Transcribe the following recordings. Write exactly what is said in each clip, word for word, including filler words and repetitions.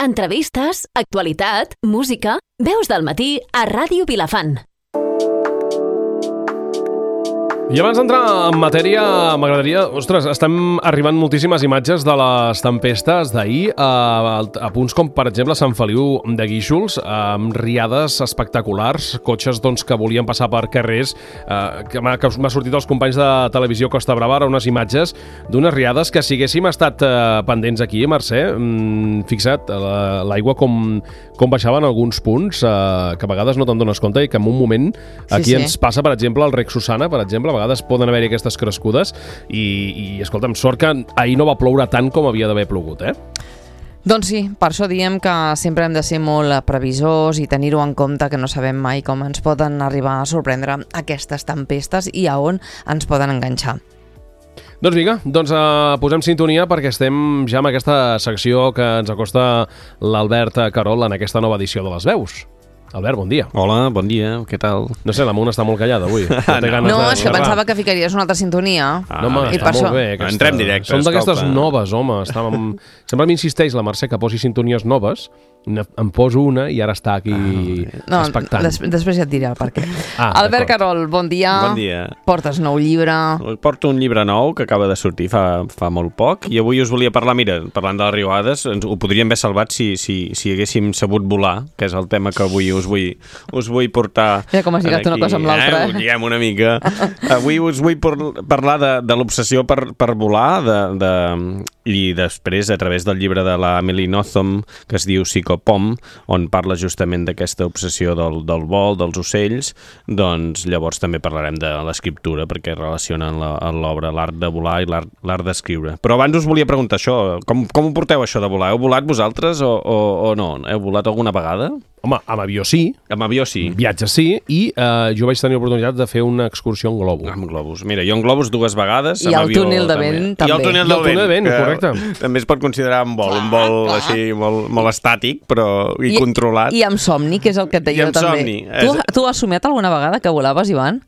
entrevistes, actualitat, música... Veus del matí a Ràdio Vilafant. I abans d'entrar en matèria, m'agradaria... Ostres, estem arribant moltíssimes imatges de les tempestes d'ahir a, a punts com, per exemple, Sant Feliu de Guíxols, amb riades espectaculars, cotxes doncs, que volien passar per carrers, eh, que m'ha sortit als companys de televisió Costa Brava unes imatges d'unes riades que, si haguéssim estat eh, pendents aquí, Mercè, mm, fixa't, l'aigua com, com baixava en alguns punts, eh, que a vegades no te'n dones compte i que en un moment aquí sí, sí. ens passa, per exemple, el rec Susana, per exemple, a vegades poden haver-hi aquestes crescudes i, i escolta'm, sort que ahir no va ploure tant com havia d'haver plogut, eh? Doncs sí, per això diem que sempre hem de ser molt previsors i tenir-ho en compte, que no sabem mai com ens poden arribar a sorprendre aquestes tempestes i a on ens poden enganxar. Doncs vinga, doncs uh, posem sintonia perquè estem ja en aquesta secció que ens acosta l'Albert Carol en aquesta nova edició de Les Veus. Albert, bon dia. Hola, bon dia, què tal? No sé, la Mona està molt callada avui. No, té ganes no de... és que pensava que ficaries una altra sintonia. Ah, no, home, està molt bé. Aquesta... Entrem directe. Són d'aquestes noves, home. Estàvem... Sempre m'insisteix la Mercè que posi sintonies noves, em poso una i ara està aquí ah, no, expectant. Des, després ja et diré el per què. Ah, Albert Carol, bon dia. Bon dia. Portes nou llibre. Porto un llibre nou que acaba de sortir fa, fa molt poc i avui us volia parlar, mira, parlant de les riuades, ho podríem haver salvat si, si, si haguéssim sabut volar, que és el tema que avui us vull, us vull portar. Ja com has lligat una cosa amb l'altra. Eh? Ho lliguem una mica. Avui us vull por, parlar de, de l'obsessió per, per volar de, de, i després, a través del llibre de la Emily Nothomb, que es diu Psychopomp, on parla justament d'aquesta obsessió del, del vol, dels ocells, doncs llavors també parlarem de l'escriptura, perquè relacionen l'obra, l'art de volar i l'art d'escriure. Però abans us volia preguntar això, com, com ho porteu això de volar? Heu volat vosaltres o, o, o no? Heu volat alguna vegada? Home, amb avió sí. Amb avió sí. Viatge sí, i eh, jo vaig tenir l'oportunitat de fer una excursió en globus. Amb globus. Mira, jo en globus dues vegades. I el túnel de vent també. I el túnel del vent, vent correcte. També es pot considerar un vol, un vol clar, així molt, molt estàtic, però i, I controlat. I amb somni, que és el que et deia I amb també. somni. Tu, tu has somiat alguna vegada que volaves, Ivan?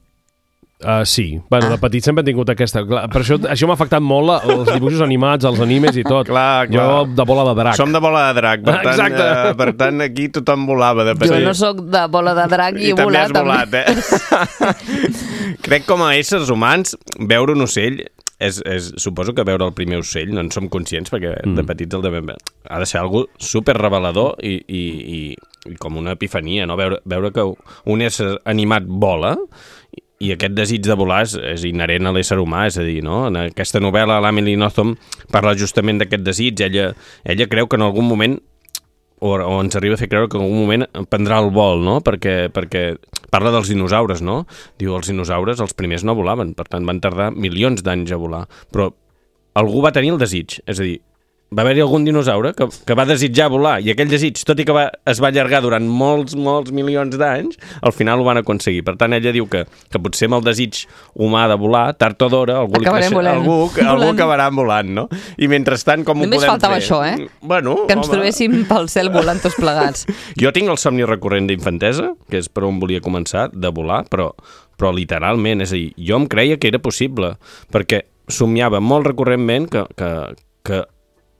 Uh, sí, bueno, ah. de petit sempre he tingut aquesta. Clar, per això, això m'ha afectat molt els dibuixos animats, els animes i tot. Clar, clar. Jo de bola de drac. Som de bola de drac, per tant, Exacte. Uh, per tant aquí tothom volava de petit. Jo no sóc de bola de drac i, I he volat. I també has volat, eh? Crec com a éssers humans, veure un ocell, és, és, suposo que veure el primer ocell, no en som conscients, perquè mm. de petits el devem veure. Ha de ser algo super revelador i, i, i, i com una epifania, no? Veure, veure que un ésser animat vola. I aquest desig de volar és, és inherent a l'ésser humà, és a dir, no? En aquesta novel·la, l'Emily Nothomb parla justament d'aquest desig. Ella, ella creu que en algun moment, o, o ens arriba a fer creure que en algun moment prendrà el vol, no? Perquè, perquè parla dels dinosaures, no? Diu, els dinosaures, els primers no volaven, per tant van tardar milions d'anys a volar. Però algú va tenir el desig, és a dir, va haver-hi algun dinosaure que, que va desitjar volar, i aquell desig, tot i que va, es va allargar durant molts, molts milions d'anys, al final ho van aconseguir. Per tant, ella diu que, que potser amb el desig humà de volar, tard o d'hora, algú, creix, algú, algú acabarà volant, no? I mentrestant, com Només ho podem faltava fer? això, eh? Bueno, que ens home. trobéssim pel cel volant tots plegats. Jo tinc el somni recurrent d'infantesa, que és per on volia començar, de volar, però, però literalment, és a dir, jo em creia que era possible, perquè somiava molt recurrentment que, que, que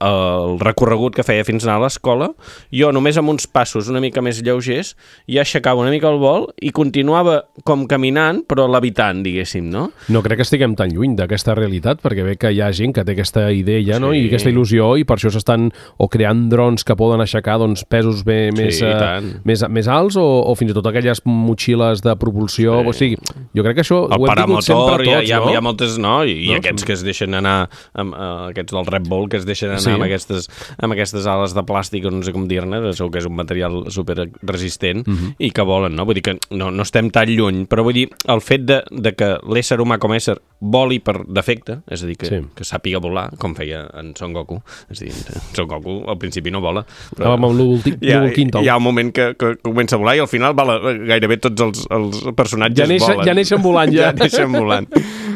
el recorregut que feia fins anar a l'escola, jo només amb uns passos una mica més lleugers ja aixecava una mica el vol i continuava com caminant, però levitant, diguéssim, no? No crec que estiguem tan lluny d'aquesta realitat, perquè ve que hi ha gent que té aquesta idea, sí. no? I aquesta il·lusió, i per això s'estan o creant drons que poden aixecar doncs, pesos bé, sí, més, uh, més, més alts, o, o fins i tot aquelles motxilles de propulsió, sí. o sigui, jo crec que això el ho hem tingut sempre tots, hi ha, hi ha, no? hi ha moltes, no? I, no? I aquests que es deixen anar, amb, uh, aquests del Red Bull, que es deixen anar sí. amb, aquestes, amb aquestes ales de plàstic, o no sé com dir-ne, segur que és un material super resistent, uh-huh. i que volen, no? Vull dir que no, no estem tan lluny, però vull dir, el fet de, de que l'ésser humà com a ésser voli per defecte, és a dir, que, sí. que sàpiga volar, com feia en Son Goku, és a dir, Son Goku al principi no vola, però amb l'últim hi, ha, hi ha un moment que, que comença a volar i al final vola, gairebé tots els, els personatges ja neixen, volen. Ja neixen volant, ja. Ja neixen volant.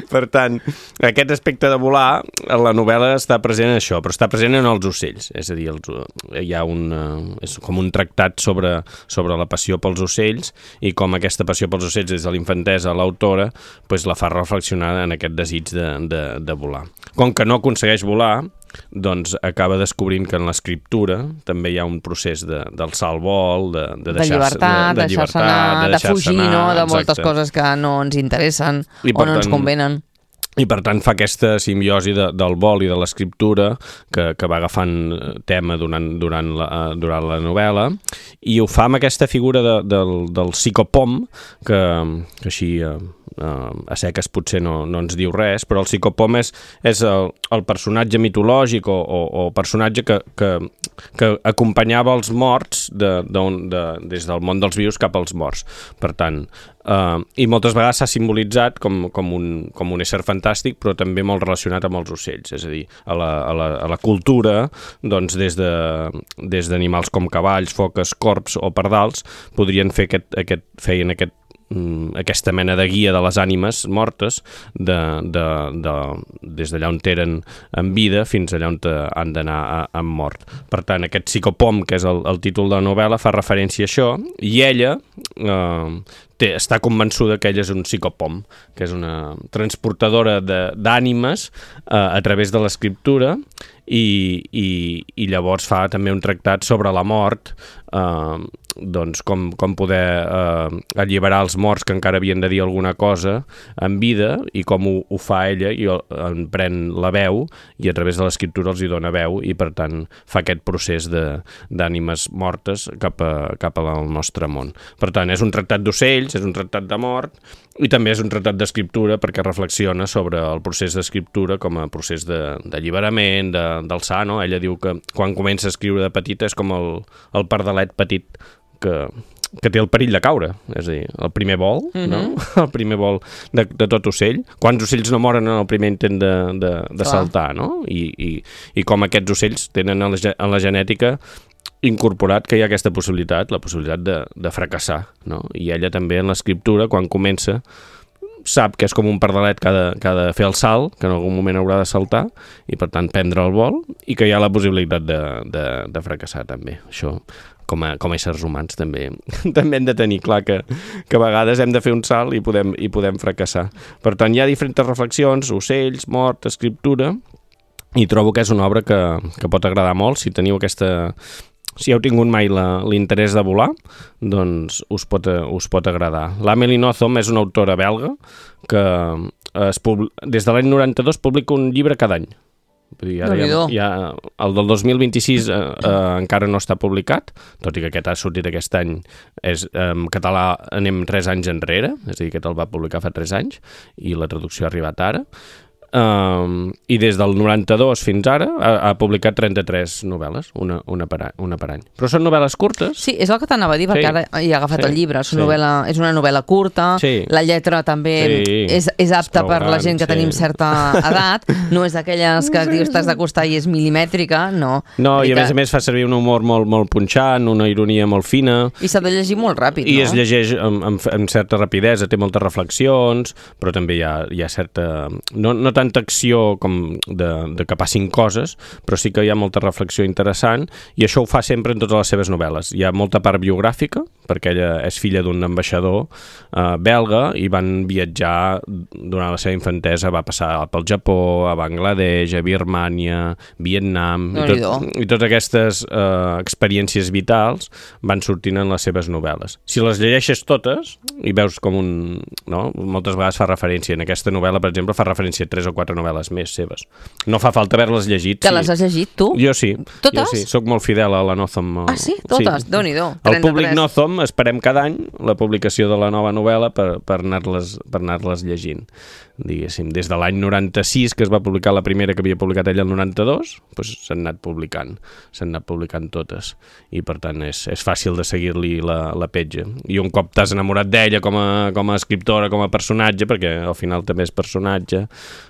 Per tant, aquest aspecte de volar, la novel·la està present en això, però està present en els ocells, és a dir, els, hi ha un, és com un tractat sobre, sobre la passió pels ocells i com aquesta passió pels ocells des de l'infantesa a l'autora pues, la fa reflexionar en aquest desig de, de, de volar. Com que no aconsegueix volar, doncs acaba descobrint que en l'escriptura també hi ha un procés de, d'alçar el vol, de, de, deixar, de llibertat, de, de deixar-se anar, de, de fugir, anar, no? De moltes exacte. Coses que no ens interessen I o no ens convenen. I per tant fa aquesta simbiosi de, del vol i de l'escriptura que, que va agafant tema durant, durant, la, durant la novel·la, i ho fa amb aquesta figura de, del, del psicopom que, que així uh, uh, a seques potser no, no ens diu res, però el psicopom és, és el, el personatge mitològic o, o, o personatge que, que, que acompanyava els morts de, de, de, des del món dels vius cap als morts. Per tant, Uh, i moltes vegades s'ha simbolitzat com, com, un, com un ésser fantàstic, però també molt relacionat amb els ocells, és a dir, a la, a la, a la cultura, doncs des de, des d'animals com cavalls, foques, corps o pardals, podrien fer aquest, aquest, feien aquest aquesta mena de guia de les ànimes mortes de, de, de, des d'allà on eren en vida fins allà on han d'anar en mort. Per tant, aquest psicopom, que és el, el títol de la novel·la, fa referència a això, i ella eh, té, està convençuda que ella és un psicopom, que és una transportadora d'ànimes eh, a través de l'escriptura, i, i, i llavors fa també un tractat sobre la mort, eh, doncs com, com poder eh, alliberar els morts que encara havien de dir alguna cosa en vida, i com ho, ho fa ella, i en pren la veu i a través de l'escriptura els hi dona veu, i per tant fa aquest procés d'ànimes mortes cap, a, cap al nostre món. Per tant, és un tractat d'ocells, és un tractat de mort, i també és un tractat d'escriptura perquè reflexiona sobre el procés d'escriptura com a procés d'alliberament, de, d'alçar, no? Ella diu que quan comença a escriure de petita és com el, el pardalet petit que, que té el perill de caure, és a dir, el primer vol, mm-hmm. no? El primer vol de, de tot ocell. Quants ocells no moren en el primer intent de, de, de saltar, no? I, i, i com aquests ocells tenen en la, en la genètica incorporat que hi ha aquesta possibilitat, la possibilitat de, de fracassar, no? I ella també en l'escriptura, quan comença, sap que és com un pardalet que ha, de, que ha de fer el salt, que en algun moment haurà de saltar, i per tant prendre el vol, i que hi ha la possibilitat de, de, de fracassar també. Això, com a, com a éssers humans, també, també hem de tenir clar que, que a vegades hem de fer un salt i podem, i podem fracassar. Per tant, hi ha diferents reflexions, ocells, mort, escriptura, i trobo que és una obra que, que pot agradar molt si teniu aquesta... Si heu tingut mai l'interès de volar, doncs us pot, us pot agradar. L'Amélie Nothomb és una autora belga que es pub... des de l'any noranta-dos publica un llibre cada any. Vull dir, ara ja, ja, el del dos mil vint-i-sis eh, eh, encara no està publicat, tot i que aquest ha sortit aquest any. És, eh, en català anem tres anys enrere, és a dir, aquest el va publicar fa tres anys i la traducció ha arribat ara. Um, i des del noranta-dos fins ara ha, ha publicat trenta-tres novel·les, una, una, per, una per any. Però són novel·les curtes. Sí, és el que t'anava a dir, perquè sí. Ara hi ha agafat sí. el llibre. És una, sí. novel·la, és una novel·la curta, sí. La lletra també sí. és, és apta per la gent que sí. tenim certa edat, no és d'aquelles que dius t'has d'acostar i és milimètrica, no. No, i a que... més a més fa servir un humor molt, molt punxant, una ironia molt fina. I s'ha de llegir molt ràpid, I no? I es llegeix amb, amb, amb certa rapidesa, té moltes reflexions, però també hi ha, hi ha certa... No, no tanta acció com de, de que passin coses, però sí que hi ha molta reflexió interessant, i això ho fa sempre en totes les seves novel·les. Hi ha molta part biogràfica, perquè ella és filla d'un ambaixador eh, belga, i van viatjar durant la seva infantesa, va passar pel Japó, a Bangladesh, a Birmània, Vietnam, no i, tot, i totes aquestes eh, experiències vitals van sortint en les seves novel·les. Si les llegeixes totes, i veus com un... No? Moltes vegades fa referència, en aquesta novel·la, per exemple, fa referència a tres o quatre novel·les més seves. No fa falta haver-les llegit. Que sí. les has llegit, tu? Jo sí. Totes? Jo sí. Soc molt fidel a la Nothomb. Ah, sí? Totes? Sí. Déu-n'hi-do. El públic Nothomb esperem cada any la publicació de la nova novel·la per, per anar-les per anar-les llegint. Diguéssim, des de l'any noranta-sis, que es va publicar la primera que havia publicat ella el noranta-dos, doncs s'han anat publicant, s'han anat publicant totes, i per tant és, és fàcil de seguir-li la, la petja. I un cop t'has enamorat d'ella com a, com a escriptora, com a personatge, perquè al final també és personatge,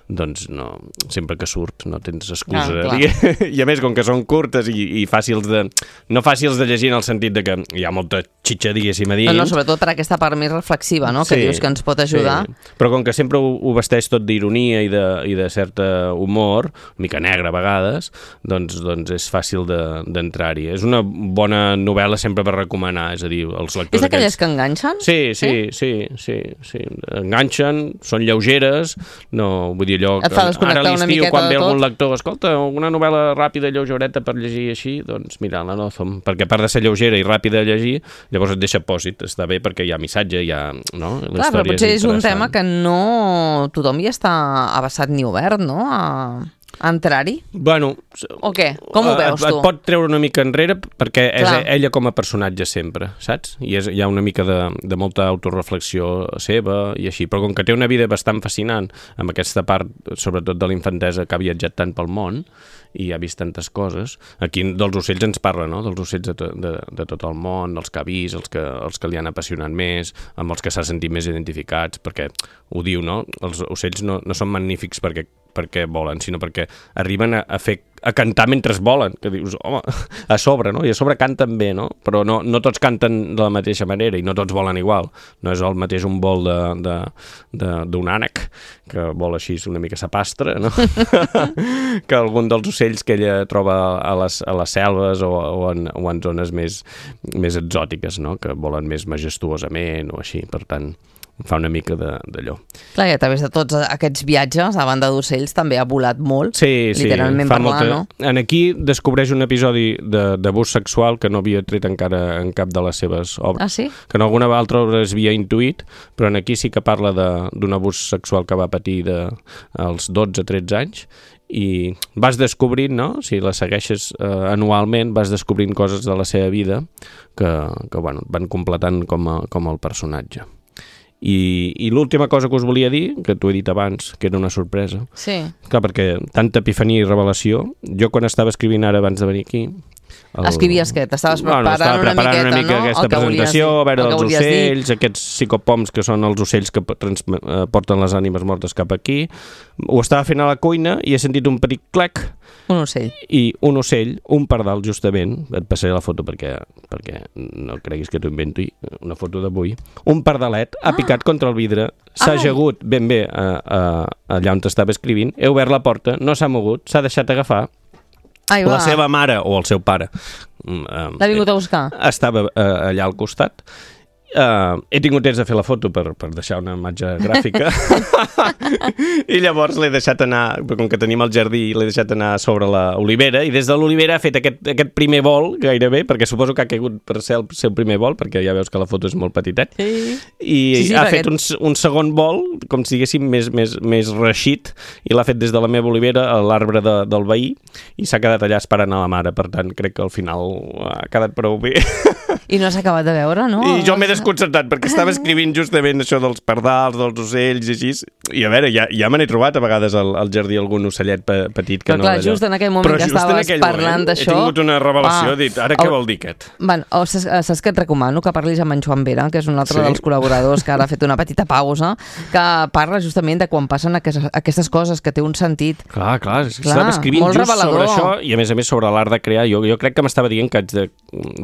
doncs no, sempre que surt no tens excusa. Ah, I a més, com que són curtes i, i fàcils de... no fàcils de llegir en el sentit de que hi ha molta xitxa, diguéssim, a dins. No, no, sobretot per aquesta part més reflexiva, no?, que sí, dius que ens pot ajudar. Sí. Però com que sempre ho, ho vesteix tot d'ironia i, de, i de certa humor, una mica negre a vegades, doncs, doncs és fàcil d'entrar-hi. És una bona novel·la sempre per recomanar, és a dir, els lectors... És d'aquelles que enganxen? Sí, sí, sí, sí, sí. Enganxen, són lleugeres, no, vull dir allò... Et fa desconnectar una miqueta de tot. Quan ve algun lector, escolta, una novel·la ràpida, lleugereta per llegir així, doncs mira, la Nothomb, perquè a part de ser lleugera i ràpida de llegir, llavors et deixa pòsit, està bé perquè hi ha missatge, hi ha... No? La Clar, però potser és, és un tema que no tothom hi està abassat ni obert, no?, a, a entrar-hi. Bueno... O què? Com ho veus, et, tu? Et pot treure una mica enrere perquè Clar. és ella com a personatge sempre, saps? I és, hi ha una mica de, de molta autoreflexió seva i així, però com que té una vida bastant fascinant amb aquesta part, sobretot de la infantesa, que ha viatjat tant pel món i ha vist tantes coses, aquí dels ocells ens parla, no?, dels ocells de, to, de, de tot el món, els que ha vist, els que, els que li han apassionat més, amb els que s'ha sentit més identificats, perquè ho diu, no?, els ocells no, no són magnífics perquè perquè volen, sinó perquè arriben a, a fer a cantar mentre volen, que dius, home, a sobre, no? I a sobre canten bé, no? Però no, no tots canten de la mateixa manera i no tots volen igual. No és el mateix un vol d'un ànec, que vol així una mica sapastre, no? que algun dels ocells que ella troba a les, a les selves o, o, en, o en zones més, més exòtiques, no? Que volen més majestuosament o així, per tant... fa una mica d'allò. Clar, i a través de tots aquests viatges, a banda d'ocells, també ha volat molt, sí, sí, literalment fa parlant, molta... no? En aquí descobreix un episodi d'abús sexual que no havia tret encara en cap de les seves obres. Ah, sí? Que en alguna altra obra es havia intuït, però en aquí sí que parla d'un abús sexual que va patir de, als dotze tretze anys, i vas descobrint, no?, si la segueixes eh, anualment, vas descobrint coses de la seva vida que, que bueno, van completant com, a, com el personatge. I, i l'última cosa que us volia dir, que t'ho he dit abans, que era una sorpresa. Sí. Clar, perquè tanta epifania i revelació, jo quan estava escrivint ara abans de venir aquí... El... Escrivies què? T'estaves preparant, bueno, estava preparant una miqueta, una mica no? aquesta presentació, a veure els ocells, dir. Aquests psicopoms que són els ocells que porten les ànimes mortes cap aquí. Ho estava fent a la cuina i he sentit un petit clec. Un ocell. I un ocell, un pardal justament, et passaré la foto perquè, perquè no creguis que t'ho invento, una foto d'avui. Un pardalet ha picat ah. contra el vidre, s'ha ajagut ben bé a, a, allà on t'estava escrivint, he obert la porta, no s'ha mogut, s'ha deixat agafar. Ai, la seva mare o el seu pare um, l'ha vingut a buscar, estava uh, allà al costat. Uh, he tingut temps de fer la foto per, per deixar una imatge gràfica i llavors l'he deixat anar, com que tenim el jardí, l'he deixat anar sobre l'olivera i des de l'olivera ha fet aquest, aquest primer vol gairebé, perquè suposo que ha caigut per ser el seu primer vol, perquè ja veus que la foto és molt petitet, sí. i sí, sí, ha fet un, un segon vol, com si diguéssim més, més, més reixit, i l'ha fet des de la meva olivera a l'arbre de, del veí i s'ha quedat allà esperant a la mare, per tant crec que al final ha quedat prou bé. I no s'ha acabat de veure, no? I jo m'he desconcertat, perquè estava escrivint justament això dels pardals, dels ocells i així, i a veure, ja, ja me n'he trobat a vegades al, al jardí algun ocellet pe, petit que però no... clar, just en aquell moment però que estaves parlant d'això... He tingut una revelació, ah, he dit, ara què vol dir aquest? Bueno, o saps, saps que et recomano que parlis amb en Joan Vera, que és un altre sí? dels col·laboradors que ara ha fet una petita pausa, que parla justament de quan passen aquestes, aquestes coses, que té un sentit. Clar, clar, és que estava escrivint just revelador. Sobre això, i a més a més sobre l'art de crear. Jo, jo crec que m'estava dient que haig de,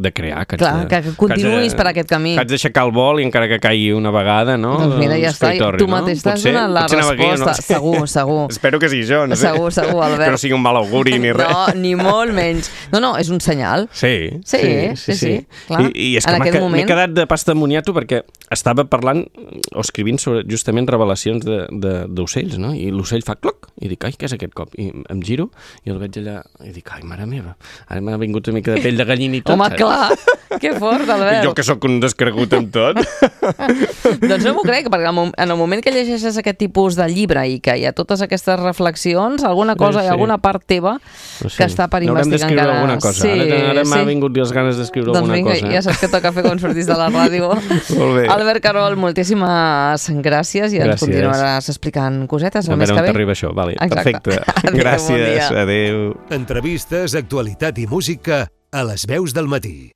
de crear, que haig clar, de... que, que continuïs per aquest camí. Que haig d'aixecar el vol i encara que caigui una vegada, no? Doncs mira, ja està, tu mateix no? t'has donat la resposta. No? Segur, segur. Espero que sigui jo, no sé. Segur, segur, Albert. Que no sigui un mal auguri ni res. No, ni molt menys. No, no, és un senyal. Sí, sí, sí, sí. sí, sí. Clar, I, i és que m'he moment... quedat de pasta de moniato perquè estava parlant o escrivint sobre justament revelacions d'ocells, no? I l'ocell fa cloc, i dic, ai, què és aquest cop? I em giro i el veig allà i dic, ai, mare meva, ara m'ha vingut una mica de pell de gallina i tot. Home, clar, que fort, Albert. Jo que sóc un descregut amb tot. Doncs no m'ho crec, perquè en el moment que llegeixes aquest tipus de llibre i que hi ha totes aquestes reflexions, alguna cosa, sí. alguna part teva no sé. que està per investigar encara. Alguna cosa. Sí, ara ara sí. m'ha vingut les ganes d'escriure doncs alguna vinga, cosa. Doncs vinga, ja saps que toca fer quan sortis de la ràdio. Molt bé. Albert Carol, moltíssimes gràcies i gràcies. ens continuaràs explicant cosetes el mes que ve. A veure on t'arriba això, vale. Perfecte. Adéu, gràcies, bon adéu. Entrevistes, actualitat i música a les veus del matí.